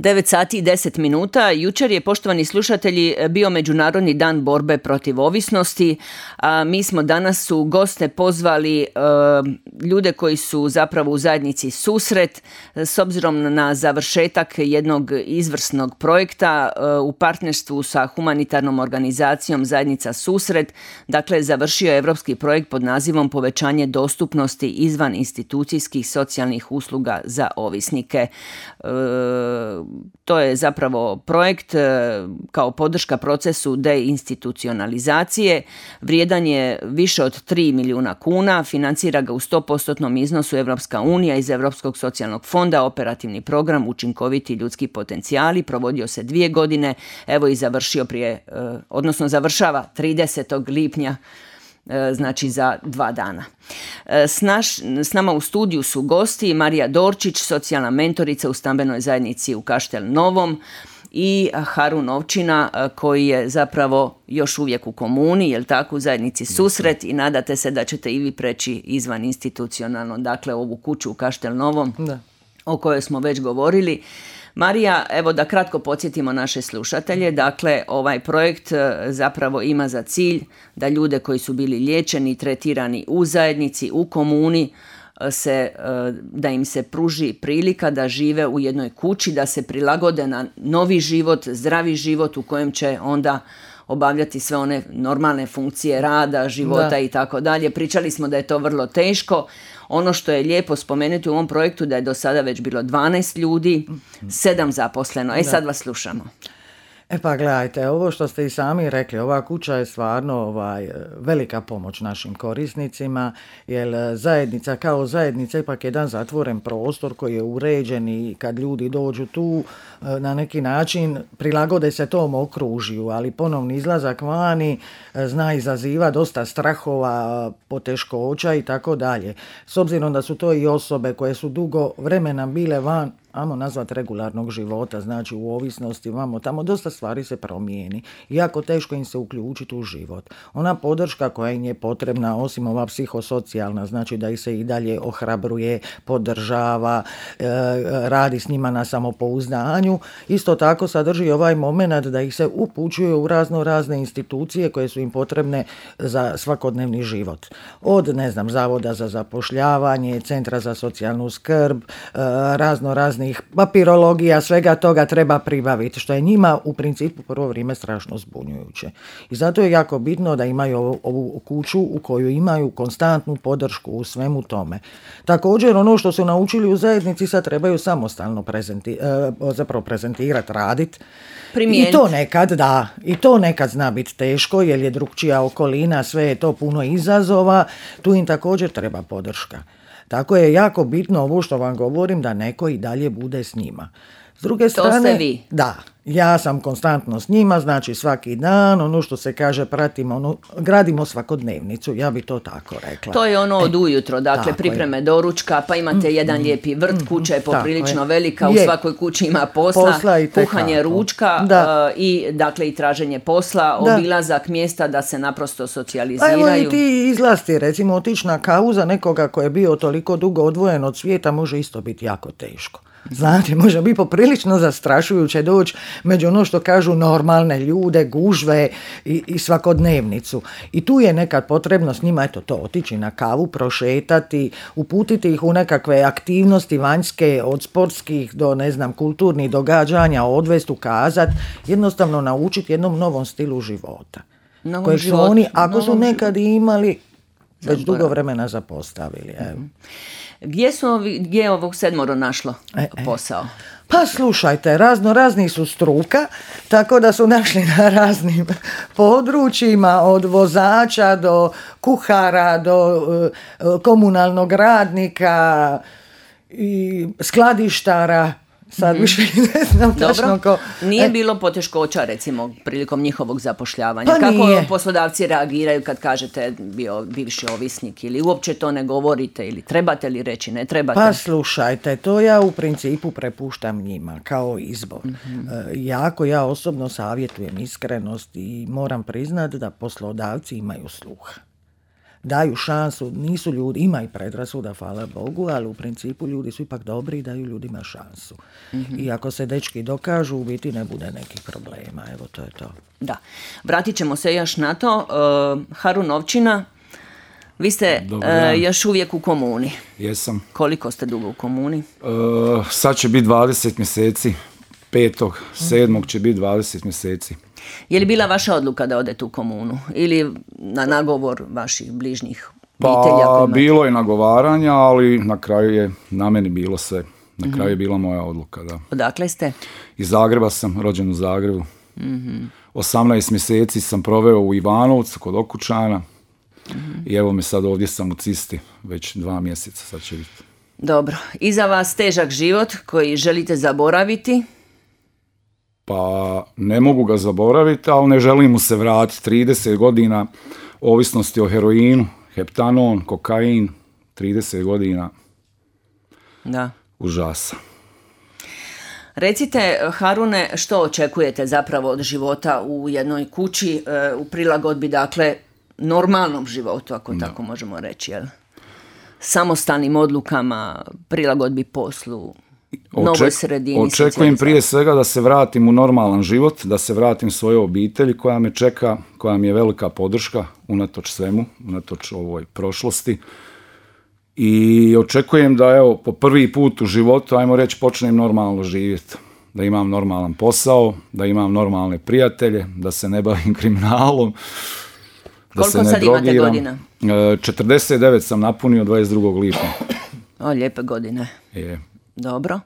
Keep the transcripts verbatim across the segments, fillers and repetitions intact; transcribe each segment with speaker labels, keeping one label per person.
Speaker 1: devet sati i deset minuta. Jučer je, poštovani slušatelji, bio Međunarodni dan borbe protiv ovisnosti, a mi smo danas u goste pozvali e, ljude koji su zapravo u zajednici Susret, s obzirom na završetak jednog izvrsnog projekta e, u partnerstvu sa humanitarnom organizacijom Zajednica Susret. Dakle, završio je evropski projekt pod nazivom Povećanje dostupnosti izvan institucijskih socijalnih usluga za ovisnike. E, To je zapravo projekt kao podrška procesu deinstitucionalizacije. Vrijedan je više od tri milijuna kuna, financira ga u sto posto iznosu Evropska unija iz Europskog socijalnog fonda, operativni program Učinkoviti ljudski potencijali, provodio se dvije godine, evo i završio prije, odnosno završava tridesetog lipnja, znači za dva dana. S, naš, s nama u studiju su gosti Marija Dorčić, socijalna mentorica u stambenoj zajednici u Kaštel Novom, i Harun Ovčina, koji je zapravo još uvijek u komuni, jel tako, u zajednici Susret, i nadate se da ćete i vi preći izvan institucionalno, dakle ovu kuću u Kaštel Novom, da, o kojoj smo već govorili. Marija, evo da kratko podsjetimo naše slušatelje, dakle ovaj projekt zapravo ima za cilj da ljude koji su bili liječeni i tretirani u zajednici, u komuni, se, da im se pruži prilika da žive u jednoj kući, da se prilagode na novi život, zdravi život u kojem će onda obavljati sve one normalne funkcije rada, života, da, i tako dalje. Pričali smo da je to vrlo teško. Ono što je lijepo spomenuti u ovom projektu da je do sada već bilo dvanaest ljudi, sedam zaposleno. E, sad vas slušamo.
Speaker 2: E pa gledajte, ovo što ste i sami rekli, ova kuća je stvarno ovaj, velika pomoć našim korisnicima, jer zajednica kao zajednica ipak je jedan zatvoren prostor koji je uređen i kad ljudi dođu tu na neki način prilagode se tom okružju, ali ponovni izlazak vani zna izaziva dosta strahova, poteškoća i tako dalje. S obzirom da su to i osobe koje su dugo vremena bile van, ajmo nazvati regularnog života, znači u ovisnosti, vamo tamo dosta stvari se promijeni. Jako teško im se uključiti u život. Ona podrška koja im je potrebna, osim ova psihosocijalna, znači da ih se i dalje ohrabruje, podržava, e, radi s njima na samopouzdanju. Isto tako sadrži ovaj moment da ih se upućuje u razno razne institucije koje su im potrebne za svakodnevni život. Od, ne znam, Zavoda za zapošljavanje, Centra za socijalnu skrb, e, razno razne papirologija, svega toga treba pribaviti, što je njima u principu prvo vrijeme strašno zbunjujuće. I zato je jako bitno da imaju ovu, ovu kuću u koju imaju konstantnu podršku u svemu tome. Također, ono što su naučili u zajednici sad trebaju samostalno prezenti, zapravo prezentirati, raditi. I to nekad, da, i to nekad zna biti teško, jer je drukčija okolina, sve je to puno izazova, tu im također treba podrška. Tako je jako bitno ovo što vam govorim, da neko i dalje bude s njima. S druge strane,
Speaker 1: to ste vi.
Speaker 2: Da, ja sam konstantno s njima, znači svaki dan, ono što se kaže, pratimo, ono, gradimo svakodnevnicu, ja bi to tako rekla.
Speaker 1: To je ono od ujutro, dakle pripreme je. doručka, pa imate mm, jedan lijepi vrt, kuća je poprilično je. velika, u je. svakoj kući ima posla, posla kuhanje ručka uh, i dakle i traženje posla, da. obilazak mjesta da se naprosto socijaliziraju.
Speaker 2: A evo i ti izlasti, recimo otići na kavu za nekoga koji je bio toliko dugo odvojen od svijeta može isto biti jako teško. Znate, može biti poprilično zastrašujuće doći među ono što kažu normalne ljude, gužve i, i svakodnevnicu. I tu je nekad potrebno s njima, eto to, otići na kavu, prošetati, uputiti ih u nekakve aktivnosti vanjske, od sportskih do, ne znam, kulturnih događanja, odvest, ukazat, jednostavno naučiti jednom novom stilu života.
Speaker 1: Novom
Speaker 2: kojeg
Speaker 1: životu.
Speaker 2: su oni, ako su nekad
Speaker 1: životu.
Speaker 2: imali, već Zaborav. dugo vremena zapostavili. Evo.
Speaker 1: Mm-hmm. Gdje, su ovi, gdje je ovog sedmoro našlo e, posao?
Speaker 2: Pa slušajte, razno razni su struka, tako da su našli na raznim područjima, od vozača do kuhara, do uh, komunalnog radnika i skladištara. Sad više ne znam točno ko...
Speaker 1: Nije bilo poteškoća, recimo, prilikom njihovog zapošljavanja.
Speaker 2: Pa
Speaker 1: Kako
Speaker 2: nije.
Speaker 1: poslodavci reagiraju kad kažete bio bivši ovisnik, ili uopće to ne govorite, ili trebate li reći, ne trebate?
Speaker 2: Pa slušajte, to ja u principu prepuštam njima kao izbor. Mm-hmm. E, jako ja osobno savjetujem iskrenost i moram priznati da poslodavci imaju sluha. daju šansu, nisu ljudi, ima i predrasuda, hvala Bogu, ali u principu ljudi su ipak dobri i daju ljudima šansu. Mm-hmm. I ako se dečki dokažu, u biti ne bude nekih problema. Evo, to je to.
Speaker 1: Da. Vratit ćemo se još na to. Uh, Harun Ovčina, vi ste uh, još uvijek u komuni.
Speaker 3: Jesam.
Speaker 1: Koliko ste dugo u komuni?
Speaker 3: Uh, sad će biti dvadeset mjeseci. Petog, sedmog će biti dvadeset mjeseci.
Speaker 1: Je li bila vaša odluka da odete u komunu? Ili na nagovor vaših bližnjih obitelja?
Speaker 3: Pa, bilo je nagovaranja, ali na kraju je na meni bilo sve. Na kraju je bila moja odluka, da.
Speaker 1: Odakle ste?
Speaker 3: Iz Zagreba sam, rođen u Zagrebu.
Speaker 1: Mm-hmm.
Speaker 3: osamnaest mjeseci sam proveo u Ivanovcu kod okućana. Mm-hmm. I evo me sad ovdje sam u Cisti, već dva mjeseca sad će biti.
Speaker 1: Dobro. Iza vas težak život koji želite zaboraviti?
Speaker 3: Pa ne mogu ga zaboraviti, ali ne želim mu se vratiti. trideset godina ovisnosti o heroinu, heptanon, kokain, trideset godina.
Speaker 1: Da.
Speaker 3: Užasa.
Speaker 1: Recite, Harune, što očekujete zapravo od života u jednoj kući, u prilagodbi, dakle, normalnom životu, ako da. Tako možemo reći, jel? Samostalnim odlukama, prilagodbi poslu, novoj sredini.
Speaker 3: Očekujem prije svega da se vratim u normalan život, da se vratim svojoj obitelji koja me čeka, koja mi je velika podrška, unatoč svemu, unatoč ovoj prošlosti. I očekujem da, evo, po prvi put u životu, ajmo reći, počnem normalno živjeti. Da imam normalan posao, da imam normalne prijatelje, da se ne bavim kriminalom, da
Speaker 1: Koliko
Speaker 3: se ne
Speaker 1: sad
Speaker 3: drogiram.
Speaker 1: Imate godina?
Speaker 3: četrdeset devet sam napunio dvadeset drugog lipnja.
Speaker 1: O, lijepe godine.
Speaker 3: Je.
Speaker 1: Dobro.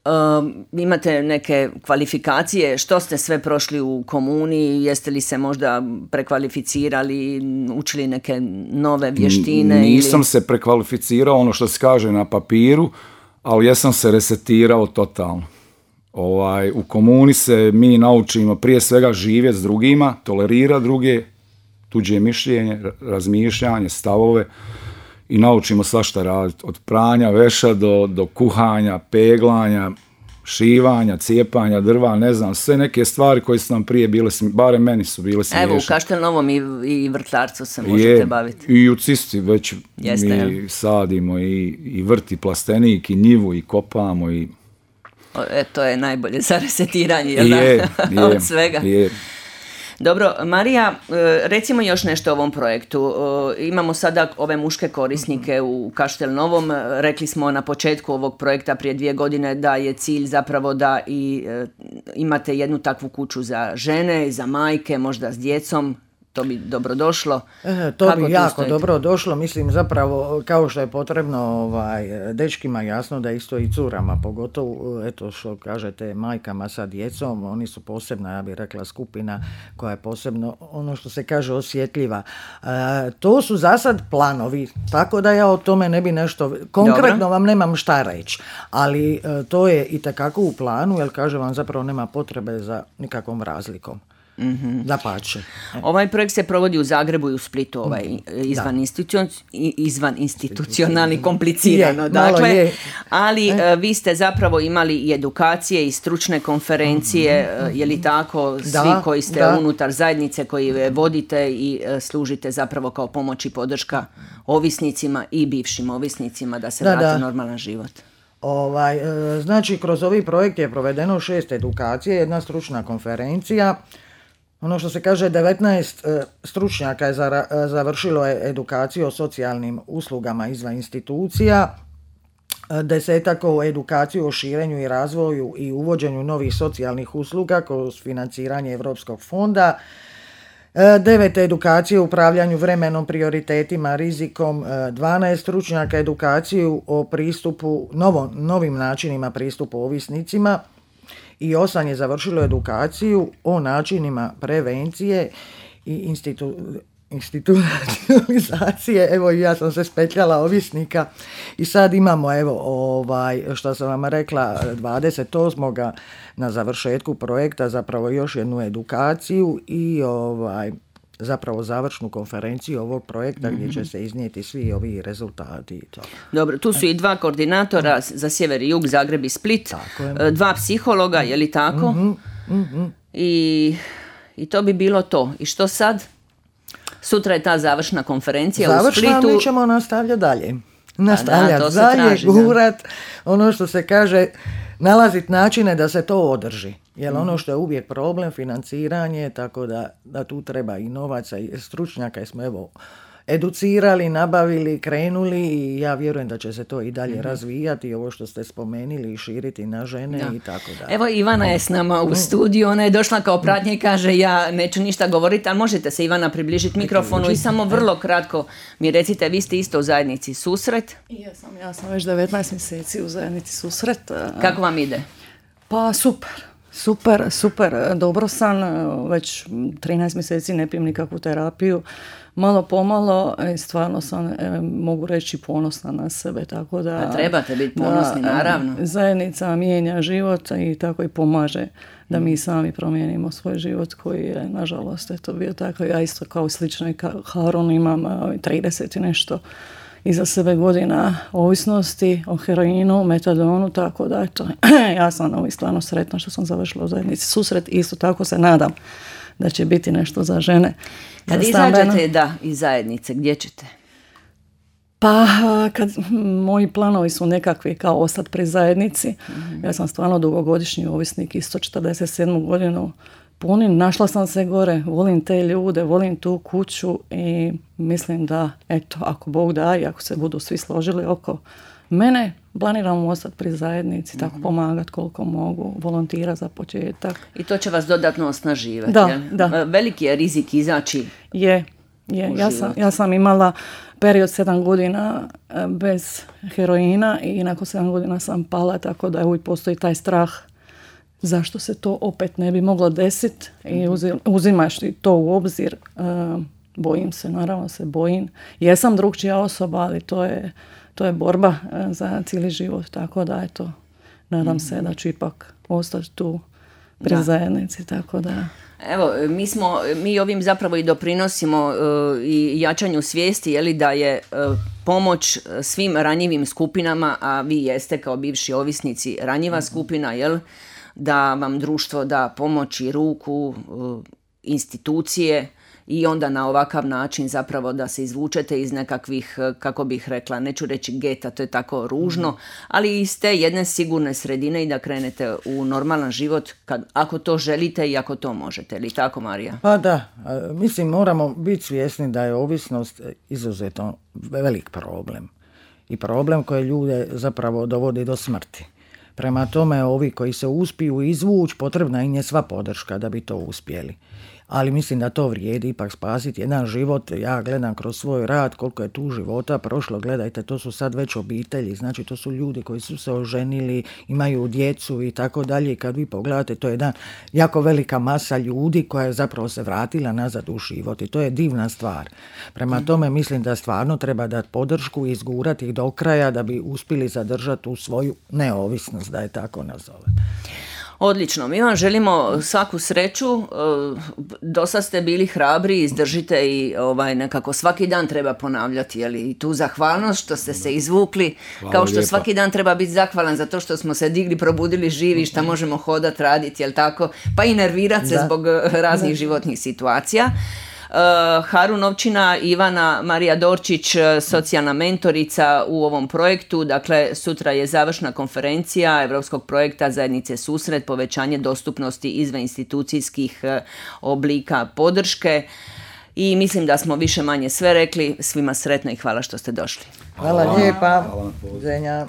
Speaker 1: Um, imate neke kvalifikacije, što ste sve prošli u komuni, jeste li se možda prekvalificirali, učili neke nove vještine?
Speaker 3: Nisam
Speaker 1: ili...
Speaker 3: se prekvalificirao, ono što se kaže na papiru, ali ja sam se resetirao totalno. Ovaj, u komuni se mi naučimo prije svega živjeti s drugima, tolerira druge, tuđe mišljenje, razmišljanje, stavove. I naučimo svašta raditi, od pranja veša do, do kuhanja, peglanja, šivanja, cijepanja drva, ne znam, sve neke stvari koje su nam prije bile, barem meni su bile smiješne.
Speaker 1: Evo, u Kaštelnovom i, i vrtlarcu se možete je, baviti.
Speaker 3: I u Cisti već Jeste, mi jel? sadimo i, i vrti plastenik, i njivu, i kopamo. I...
Speaker 1: O, e, to je najbolje za resetiranje, jel
Speaker 3: je,
Speaker 1: da?
Speaker 3: Je,
Speaker 1: od svega.
Speaker 3: Je.
Speaker 1: Dobro, Marija, recimo još nešto o ovom projektu. Imamo sada ove muške korisnike u Kaštelnovom. Rekli smo na početku ovog projekta prije dvije godine da je cilj zapravo da i imate jednu takvu kuću za žene, za majke, možda s djecom. To bi dobro došlo.
Speaker 2: E, to Kako bi jako stojite? dobro došlo, mislim zapravo kao što je potrebno ovaj, dečkima jasno da isto i curama, pogotovo eto što kažete majkama sa djecom, oni su posebna, ja bih rekla, skupina koja je posebno ono što se kaže osjetljiva. E, to su za sad planovi, tako da ja o tome ne bi nešto, konkretno dobro. Vam nemam šta reći, ali e, to je itekako u planu, jer kaže vam zapravo nema potrebe za nikakvom razlikom. Mm-hmm. Dapače.
Speaker 1: Ovaj projekt se provodi u Zagrebu i u Splitu, ovaj izvan, institucion, izvan institucionalni, komplicirano, je, dakle, je. ali e? vi ste zapravo imali i edukacije i stručne konferencije, mm-hmm. je li tako, svi da, koji ste da. unutar zajednice, koji vodite i služite zapravo kao pomoć i podrška ovisnicima i bivšim ovisnicima da se da, vrate da. normalan život.
Speaker 2: Ovaj, znači, kroz ovaj projekt je provedeno šest edukacije, jedna stručna konferencija. Ono što se kaže, devetnaest e, stručnjaka je za, e, završilo je edukaciju o socijalnim uslugama izvan institucija, e, desetak o edukaciju o širenju i razvoju i uvođenju novih socijalnih usluga kroz financiranje Europskog fonda, e, devet edukacije o upravljanju vremenom, prioritetima, rizikom, e, dvanaest stručnjaka edukaciju o pristupu, novo, novim načinima pristupu ovisnicima, i osam je završilo edukaciju o načinima prevencije i institu, institucionalizacije. Evo, ja sam se spetljala ovisnika i sad imamo, evo, ovaj, što sam vam rekla, dvadeset osmog na završetku projekta zapravo još jednu edukaciju i ovaj, zapravo završnu konferenciju ovog projekta mm-hmm. gdje će se iznijeti svi ovi rezultati. I to.
Speaker 1: Dobro, tu su i dva koordinatora mm-hmm. za sjever i jug, Zagreb i Split, dva psihologa, je li tako?
Speaker 2: Mm-hmm. Mm-hmm.
Speaker 1: I, I to bi bilo to. I što sad? Sutra je ta završna konferencija
Speaker 2: završna,
Speaker 1: u Splitu.
Speaker 2: Završna, mi ćemo nastavljati dalje. Nastavljati
Speaker 1: da,
Speaker 2: dalje,
Speaker 1: traži,
Speaker 2: gurat, da. Ono što se kaže, nalaziti načine da se to održi. Jer ono što je uvijek problem, financiranje, tako da, da tu treba i novaca i stručnjaka, i smo evo educirali, nabavili, krenuli i ja vjerujem da će se to i dalje mm-hmm. razvijati, ovo što ste spomenuli, i širiti na žene da. I tako da.
Speaker 1: Evo Ivana je s nama u studiju, ona je došla kao pratnja i kaže ja neću ništa govoriti, ali možete se Ivana približiti mikrofonu i samo vrlo kratko mi recite, vi ste isto u zajednici Susret?
Speaker 4: Ja sam, ja sam već devetnaest mjeseci u zajednici Susret.
Speaker 1: Kako vam ide?
Speaker 4: Pa super. Super, super, dobro sam, već trinaest mjeseci ne pijem nikakvu terapiju, malo pomalo, stvarno sam, e, mogu reći, ponosna na sebe, tako da...
Speaker 1: A trebate biti ponosni, da, naravno.
Speaker 4: Zajednica mijenja život i tako i pomaže da mi sami promijenimo svoj život koji je, nažalost, eto bio tako. Ja isto kao slično i kao Harun imam trideset i nešto iza sebe godina ovisnosti o heroinu, metadonu, tako da eto, ja sam ovaj stvarno sretna što sam završila u zajednici Susret i isto tako se nadam da će biti nešto za žene.
Speaker 1: Kad izađete da, iz zajednice, gdje ćete?
Speaker 4: Pa, kad moji planovi su nekakvi kao ostati pri zajednici, mm-hmm. ja sam stvarno dugogodišnji ovisnik, isto četrdeset sedmu godinu punim, našla sam se gore, volim te ljude, volim tu kuću i mislim da, eto, ako Bog da i ako se budu svi složili oko mene, planiram ostati pri zajednici, tako mm-hmm. pomagati koliko mogu, volontirati za početak.
Speaker 1: I to će vas dodatno osnaživati,
Speaker 4: da,
Speaker 1: jel?
Speaker 4: Da.
Speaker 1: Veliki je rizik izaći
Speaker 4: je, je. Ja sam, ja sam imala period sedam godina bez heroina i nakon sedam godina sam pala, tako da uvijek postoji taj strah zašto se to opet ne bi moglo desiti i uzimaš to u obzir. Bojim se, naravno se bojim. Jesam drugčija osoba, ali to je, to je borba za cijeli život, tako da eto, nadam se da ću ipak ostati tu pri da. zajednici, tako da...
Speaker 1: Evo, mi smo, mi ovim zapravo i doprinosimo uh, i jačanju svijesti, je li, da je uh, pomoć svim ranjivim skupinama, a vi jeste kao bivši ovisnici ranjiva mm-hmm. skupina, jel, da vam društvo da pomoć i ruku, uh, institucije i onda na ovakav način zapravo da se izvučete iz nekakvih, kako bih rekla, neću reći geta, to je tako ružno, mm. ali iz te jedne sigurne sredine i da krenete u normalan život kad, ako to želite i ako to možete. Ili tako, Marija?
Speaker 2: Pa da, mislim moramo biti svjesni da je ovisnost izuzetno velik problem. I problem koji ljude zapravo dovodi do smrti. Prema tome, ovi koji se uspiju izvući, potrebna im je sva podrška da bi to uspjeli. Ali mislim da to vrijedi ipak spasiti jedan život. Ja gledam kroz svoj rad koliko je tu života prošlo. Gledajte, to su sad već obitelji. Znači, to su ljudi koji su se oženili, imaju djecu i tako dalje. I kad vi pogledate, to je jedna jako velika masa ljudi koja je zapravo se vratila nazad u život. I to je divna stvar. Prema tome, mislim da stvarno treba dati podršku i izgurati ih do kraja da bi uspjeli zadržati tu svoju neovisnost, da je tako nazovem.
Speaker 1: Odlično, mi vam želimo svaku sreću, dosta ste bili hrabri, izdržite i ovaj, nekako svaki dan treba ponavljati, jeli, i tu zahvalnost što ste se izvukli, hvala kao što lijepa. Svaki dan treba biti zahvalan za to što smo se digli, probudili živi, što možemo hodati, raditi, jel tako, pa i nervirati se da. Zbog raznih da. životnih situacija. Uh, Harun Ovčina, Ivana Marija Dorčić, socijalna mentorica u ovom projektu. Dakle, sutra je završna konferencija Europskog projekta Zajednice Susret, povećanje dostupnosti izvaninstitucijskih oblika podrške. I mislim da smo više manje sve rekli. Svima sretno i hvala što ste došli.
Speaker 2: Hvala, hvala lijepa. Hvala.